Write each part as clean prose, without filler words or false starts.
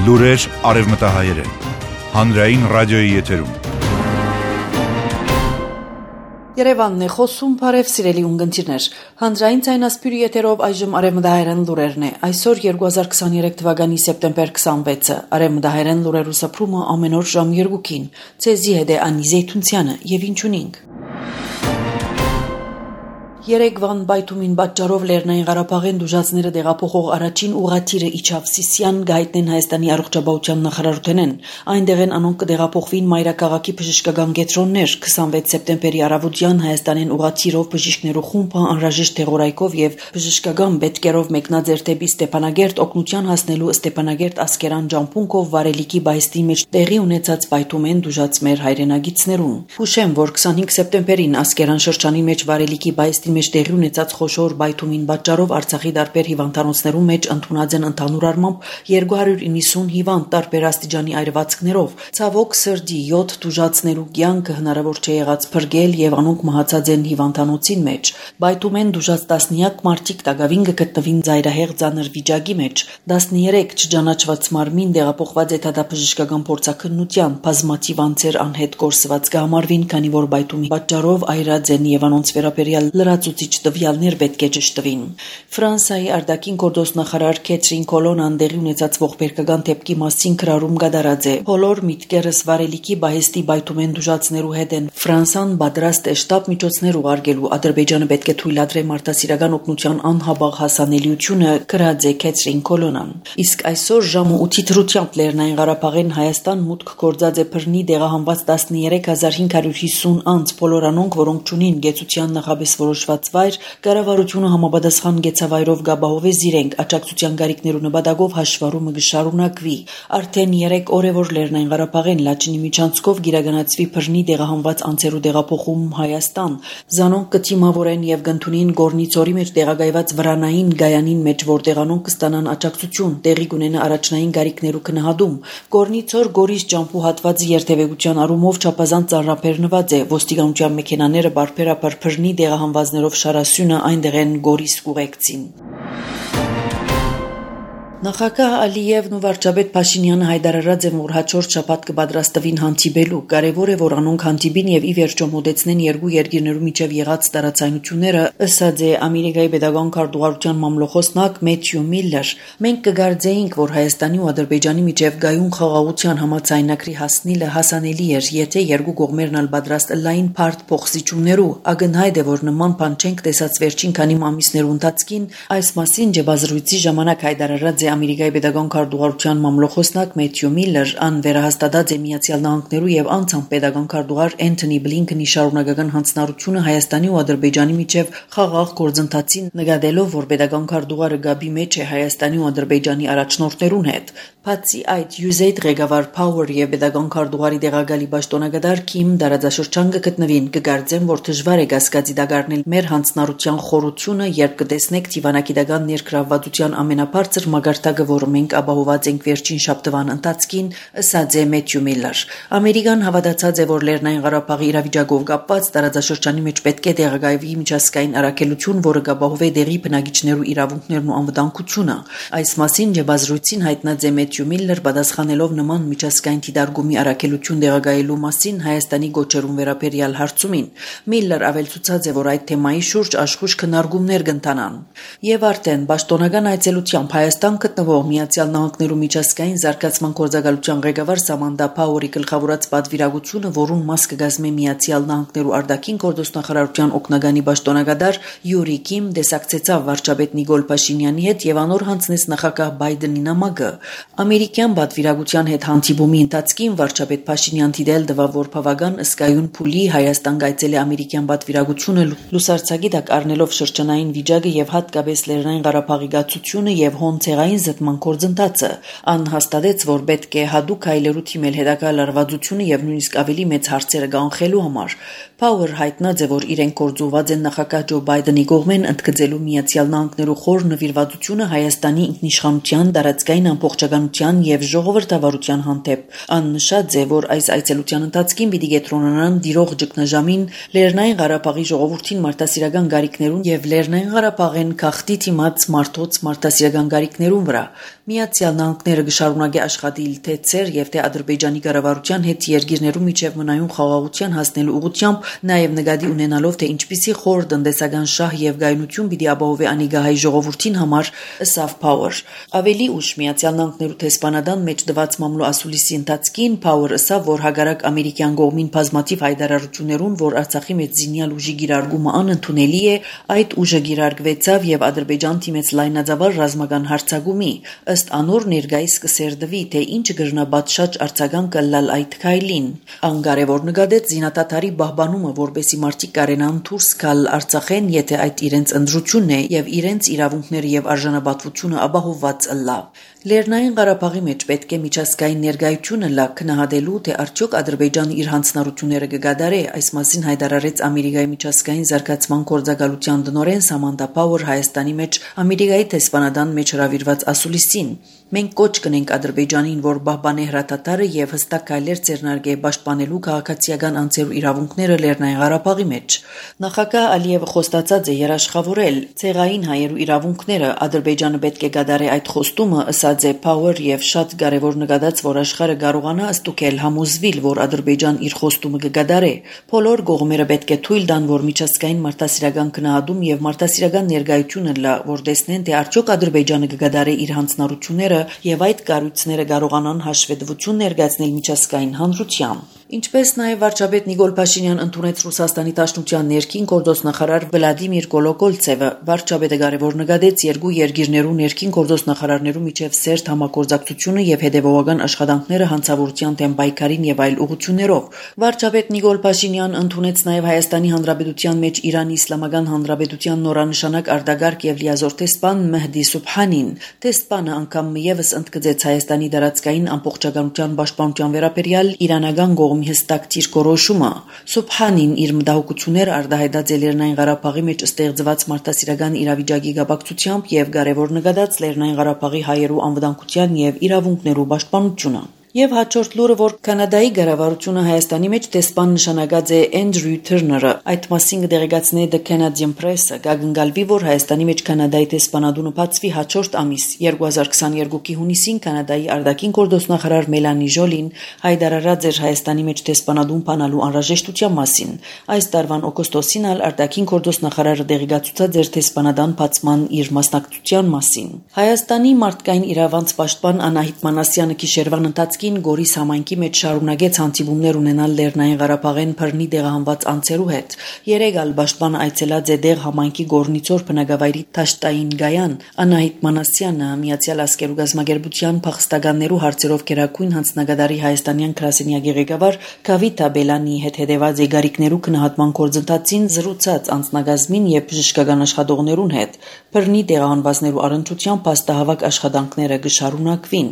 Լուրեր արևմտահայերեն, հանրային ռադիոյի եթերում։ Երևանն է խոսում, բարև սիրելի ունգընտիրներ։ Հանրային ցայնասպյուրի եթերով այժմ արևմտահայերեն լուրերն է։ Այսօր 2023 թվականի սեպտեմբեր 26-ը։ Արևմտահայերեն լուրերու սփռումը ամեն օր ժամ 2-ին։ Ցեզի հետ է Անի Զեյթունցյանը եւ ինչունինք։ Երեգվան բայթումին պատճառով Լեռնային Ղարաբաղեն դժուժածները դեղափոխող առաջին ուղղաթիռը իջավ Սիսիան գայտնեն Հայաստանի առողջապահության նախարարութենեն։ Այնտեղ են անոնք կդեղափոխվին մայրաքաղաքի բժշկական կենտրոններ 26 սեպտեմբերի առավոտյան Հայաստանեն ուղղաթիռով բժիշկներու խումբը անհրաժեշտ տեղորայքով եւ բժշկական բետկերով մեկնաձեր դեպի Ստեփանագերտ օգնության հասնելու Ստեփանագերտ Ասկերան ջամփունքով վարելիքի բայստի մեջ տեղի ունեցած բայթումեն դժուժած մեր հայրենագիտներուն։ Հուշեմ, որ 25 սեպտեմբերին Ասկերան շրջանի մեջ վարելիքի բայստի մեջ տեղի ունեցած խոշոր բայթումին պատճառով Արցախի տարբեր հիվանդանոցներու մեջ ընդունած են ընդհանուր առմամբ 290 հիվանդ տարբեր աստիճանի այրվածքներով։ Ցավոք սրդի 7 դժուժածներու կյանքը հնարավոր չէ եղած փրկել եւ անոնք մահացած են հիվանդանոցին մեջ։ Բայթումեն դժուժած 10-նյակ մարդիկ տագավին գտնվին ծայրահեղ ծանր վիճակի մեջ։ 13 չճանաչված մարմին դեղափոխված է դատաբժշկական փորձաքննության, բազմաթիվ անձեր անհետ կորսված կհամարվին, քանի որ բայթումի պատճառով այրած են եւ անոնց վերաբերյալ լրացուցիչ տվյալներ պետք է ճշտվին։ Ֆրանսիայի արտաքին գործոստ նախարար Քեթրին Կոլոնան դեղի ունեցած ողբերգական դեպքի մասին քրարում գդարած է։ Բոլոր միտքերս վարելիքի բայստի բայթումեն դժուժածներու հետ են։ Ֆրանսան պատրաստ է շտաբ միջոցներ ուղարկելու։ Ադրբեջանը պետք է թույլատրի մարդասիրական օգնության անհաբաղ հասանելիությունը, գրած է Քեթրին Կոլոնան։ Իսկ այսօր ժամը 8-ի դրությամբ Լեռնային Ղարաբաղեն Հայաստան մուտք գործած է բռնի դեղահանված 13550 անձ, բոլոր անոնք, որոնք ճունին գեցության նախաբես որոշված վայր, կառավարությունը համապատասխան գեցավայրով գաբահովե զիրենք աջակցության գարիկներու նպատակով հաշվառումը կշարունակվի։ Արդեն 3 օր է, որ Լեռնային Ղարաբաղեն Լաչինի միջանցքով գիրագանացվի բռնի դեղահանված անձերու դեղափոխում Հայաստան։ Զանոնք կթիմավորեն եւ կընդունին Գորնիցորի մեջ տեղակայված վրանային գայանին մեջ, որտեղ անոնք կստանան աջակցություն, տեղի կունենա առաջնային գարիկներու քննադում։ Գորնիցոր Գորիս ջամփու հատվածի երթևեկության առումով չափազանց ծանրաբեռնված է։ Ոստիկանության մեքենաները բարբերաբար բռնի դեղահանվածներով շարասյունը այնտեղ են Գորիս կուղեկցին։ Նախագահ Ալիևն ու վարչապետ Փաշինյանը հայտարարած են, որ հաջորդ շաբաթ կպատրաստվին հանդիպելու։ Կարևոր է, որ անոնք հանդիպին եւ ի վերջո մոտեցնեն երկու երկիրներու միջև եղած տարածայնությունները, ըստ է Ամերիկայի պետական քարտուղարության մամլոխոսնակ Մեթյու Միլլեր։ Մենք կգարձեինք, որ Հայաստանի ու Ադրբեջանի միջև գայուն խաղաղության համաձայնագրի հասնելը հասանելի էր, եթե երկու կողմերն ալ պատրաստ լայն բարդ փոխզիջումներու։ Ակնհայտ է, որ նման բան չենք տեսած վերջին քանի ամիսներու ընթացքին։ Այս մասին ջբազրույցի ժամանակ հայտարարած Ամերիկայի պետական քարտուղարության մամլոխոսնակ Մեթյու Միլլեր ան վերահաստատած է Միացյալ Նահանգներու եւ անցամ պետական քարտուղար Էնթոնի Բլինքենի շարունակական հանձնառությունը Հայաստանի ու Ադրբեջանի միջև խաղաղ գործընթացին, նկատելով, որ պետական քարտուղարը գաբի մեջ է Հայաստանի ու Ադրբեջանի առաջնորդներուն հետ։ Բացի այդ, USAID ղեկավար Power եւ պետական քարտուղարի դեղագալի պաշտոնակատար Քիմ դարաձաշրջան կգտնվին, կգարձեն, որ դժվար է կասկածի դակարնել մեր հանձնառության խորությունը, երբ կտեսնեք դիվանագիտական ներգրավվածության ամենաբարձր մագարտակը, որը մենք ապահոված ենք վերջին շաբթվան ընթացքին, ըստ է Մեթյու Միլլեր։ Ամերիկան հավատացած է, որ Լեռնային Ղարաբաղի իրավիճակով կապված տարածաշրջանի մեջ պետք է տեղակայվի միջազգային առաքելություն, որը կապահովի դեղի բնակիչներու իրավունքներն ու անվտանգությունը։ Այս մասին ջբազրույցին հայտնած է Մեթյու Միլլեր, պատասխանելով նման միջազգային դիտարկումի առաքելություն տեղակայելու մասին Հայաստանի գոչերուն վերաբերյալ հարցումին։ Միլլեր ավելցուցած է, որ այդ թեմայի շուրջ աշխույժ քննարկումներ կընթանան։ Եվ արդեն պաշտոնական այցելությամբ Հայաստան գտնվող Միացյալ Նահանգներու միջազգային զարգացման գործակալության ղեկավար Սամանդա Փաուերի գլխավորած պատվիրակությունը, որուն մաս կգազմի Միացյալ Նահանգներու արտաքին գործոստնախարարության օգնագանի պաշտոնակատար Յուրի Կիմ, դեսակցեցավ վարչապետ Նիկոլ Փաշինյանի հետ եւ անոր հանձնեց նախագահ Բայդենի նամակը։ Ամերիկյան պատվիրակության հետ հանդիպումի ընթացքին վարչապետ Փաշինյան դիտել տվավ, որ բավական ըսկայուն փուլի Հայաստան գայցել է ամերիկյան պատվիրակությունը լուսարձակի տակ առնելով շրջանային վիճակը եւ հատկապես Լեռնային Ղարաբաղի գացությունը եւ հոնցեղային զտման գործընթացը։ Ան հաստատեց, որ պետք է հadoop հայլերու թիմել հետագա լարվածությունը եւ նույնիսկ ավելի մեծ հարցերը կանխելու համար։ Power հայտնած է, որ իրենք գործուված են նախագահ Ջո Բայդենի կողմեն ընդգծելու Միացյալ Նահանգներու խոր նվիրվածությունը Հայաստանի ինքնիշխանության, տարածքային ամբողջականության եւ ժողովրդավարության հանդեպ։ Ան նշած է, որ այս այցելության ընթացքին պիտի կենտրոնանան դիրող ճգնաժամին, Լեռնային Ղարաբաղի ժողովրդին մարդասիրական գարիկներուն եւ Լեռնային Ղարաբաղեն գաղթի թիմած մարդոց մարդասիրական գարիկներուն հարցերուն վրա։ Միացյալ Նահանգները կշարունակի աշխատել թե ցեր եւ թե Ադրբեջանի կառավարության հետ երկիրներու միջև մնայուն խաղաղության հասնելու ուղղությամբ, նաեւ նկատի ունենալով թե ինչպիսի խոր տնտեսական շահ եւ գայունություն պիտի ապահովի անիգահայ ժողովրդին համար, ըսավ Power։ Ավելի ուշ Միացյալ Նահանգներու տեսփանադան մեջ դված մամլո ասուլիսի ընթացքին Power ըսավ, որ հագարակ ամերիկյան կողմին բազմաթիվ հայտարարություններուն, որ Արցախի մեջ զինյալ ուժի գիրարգումը անընդունելի է, այդ ուժը գիրարգվեցավ եւ Ադրբեջան թիմեց լայնածավալ ռազմական հարձակումի։ Ըստ անոր ներկայիս կսերդվի, թե ինչ գրնաբաց արձագան կլալ այդ քայլին։ Անկարևոր նկատեց զինատատարի բահբանումը, որբեսի մարդիկ կարենան դուրս գալ Արցախեն, եթե այդ իրենց ընդրությունն է եւ իրենց իրավունքները եւ արժանապատվությունը ապահովված ըլլա։ Լեռնային Ղարաբաղի մեջ պետք է միջազգային ներկայությունը լա քննադատելու, թե արդյոք Ադրբեջանը իր հանձնառությունները կգադարե, այս մասին հայտարարեց Ամերիկայի միջազգային զարգացման գործակալության տնօրեն Սամանթա Power Հայաստանի մեջ Ամերիկայի տեսփանադան մեջ հրավիրված ասուլիսին։ Մենք կոչ կնենք Ադրբեջանին, որ պահպանի հրատատարը եւ հստակ քայլեր ձեռնարկե պաշտպանելու քաղաքացիական անձերու իրավունքները Լեռնային Ղարաբաղի մեջ։ Նախագահ Ալիևը խոստացած է երաշխավորել ցեղային հայերու իրավունքները, Ադրբեջանը պետք է գադարի այդ խոստումը, ըսած է Power եւ շատ կարեւոր նկատած, որ աշխարհը կարողանա ստուգել համոզվել, որ Ադրբեջան իր խոստումը կգադարի։ Բոլոր կողմերը պետք է թույլ տան, որ միջազգային մարդասիրական գնահատում եւ մարդասիրական ներկայությունը լա, որ տեսնեն, թե արդյոք Ադրբեջանը կգադարի իր հանձնառությունները եւ այդ կառույցները կարողանան հաշվետվություն ներկայացնել միջազգային հանրությամբ։ Ինչպես նաև վարչապետ Նիկոլ Փաշինյան ընդունեց Ռուսաստանի Դաշնության ներքին գործոստնախարար Վլադիմիր Կոլոկոլցևը, վարչապետը կարևոր նկատեց երկու երկիրներու ներքին գործոստնախարարներու միջև սերտ համագործակցությունը եւ հետեւողական աշխատանքները հանցավորության դեմ պայքարին եւ այլ ուղղություններով։ Վարչապետ Նիկոլ Փաշինյան ընդունեց նաև Հայաստանի Հանրապետության մեջ Իրանի Իսլամական Հանրապետության նորանշանակ արտագարկ եւ լիազոր տեսփան Մեհդի Սուբհանին։ Տեսփանը անգամ եւս ընդգծեց Հայաստանի դարածքային ամբողջականության պաշտպանության վերաբերյալ իրանական կողմի հստակ դիրքորոշումը։ Սուբհանին իր մտահոգությունները արտահայտած է Լեռնային Ղարաբաղի մեջ ստեղծված մարդասիրական իրավիճակի կապակցությամբ եւ կարևոր նկատած Լեռնային Ղարաբաղի հայերու անվտանգության եւ իրավունքներու պաշտպանությունը։ Եվ հաջորդ լուրը, որ Կանադայի կառավարությունը Հայաստանի մեջ տեսփան նշանակած է Էնդրյու Թերները, այդ մասին կդեղեկացնի The Canadian Press-ը, կգնգալվի, որ Հայաստանի մեջ Կանադայի տեսփանադունը բացվի հաջորդ ամիս 2022-ի հունիսին Կանադայի արտաքին գործոստնախարար Մելանի Ժոլին հայտարարած էր Հայաստանի մեջ տեսփանադուն բանալու անհրաժեշտության մասին։ Այս տարվան օգոստոսին արտաքին գործոստնախարարը դեղեկացուցած էր տեսփանադան բացման իր մասնակցության մասին։ Հայաստանի մարդկային իրավանց պաշտպան Անահիտ Մանասյանը գիշերվան ընթացքում Գորիս համայնքի մեջ շարունակեց հանդիպումներ ունենալ Լեռնային Ղարաբաղեն բռնի տեղահանված անձերու հետ։ Երեգալ պաշտպանը այցելած է դեղ համայնքի Գորնիցոր բնակավայրի Թաշտային Գայան։ Անահիտ Մանասյանը Միացյալ Ազգերու գազագերբության փախստականներու հարցերով գերագույն հանձնագետարի հայաստանյան գրասենյակի ղեկավար Գավիթա Բելանի հետ հետևած եգարիկներու քննադատման գործընթացին զրուցած անձնագազմին եւ բժշկական աշխատողներուն հետ։ Բռնի տեղահանվածներու առընչությամբ փաստահավաք աշխատանքները կշարունակվին։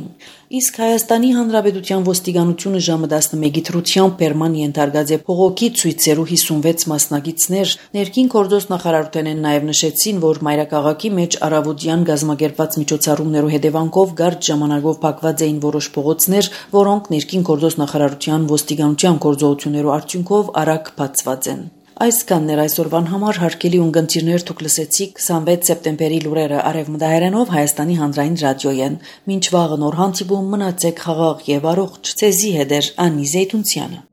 Իսկ Հայաստանի Հանրապետության ոստիկանությունը ժամը 11-ի դրությամբ Պերման ենթարկած է փողոքի ցույցերու 56 մասնակիցներ։ Ներքին գործոստնախարարութենեն նաև նշեցին, որ մայրաքաղաքի մեջ առավոտյան գազագերբված միջոցառումներու հետևանքով կարճ ժամանակով փակված էին որոշ փողոցներ, որոնք ներքին գործոստնախարարության ոստիկանության գործողություններու արդյունքով արագ բացված են։ Այսքանն էր այսօրվան համար, հարգելի ունկնդիրներ, դուք լսեցիք 26 սեպտեմբերի լուրերը Արևմտահայերենով Հայաստանի հանրային ռադիոյեն։ Մինչ վաղը նոր հանդիպում, մնացեք խաղաղ եւ առողջ։ Ցեզի հետ Անի Զեյթունցյանը։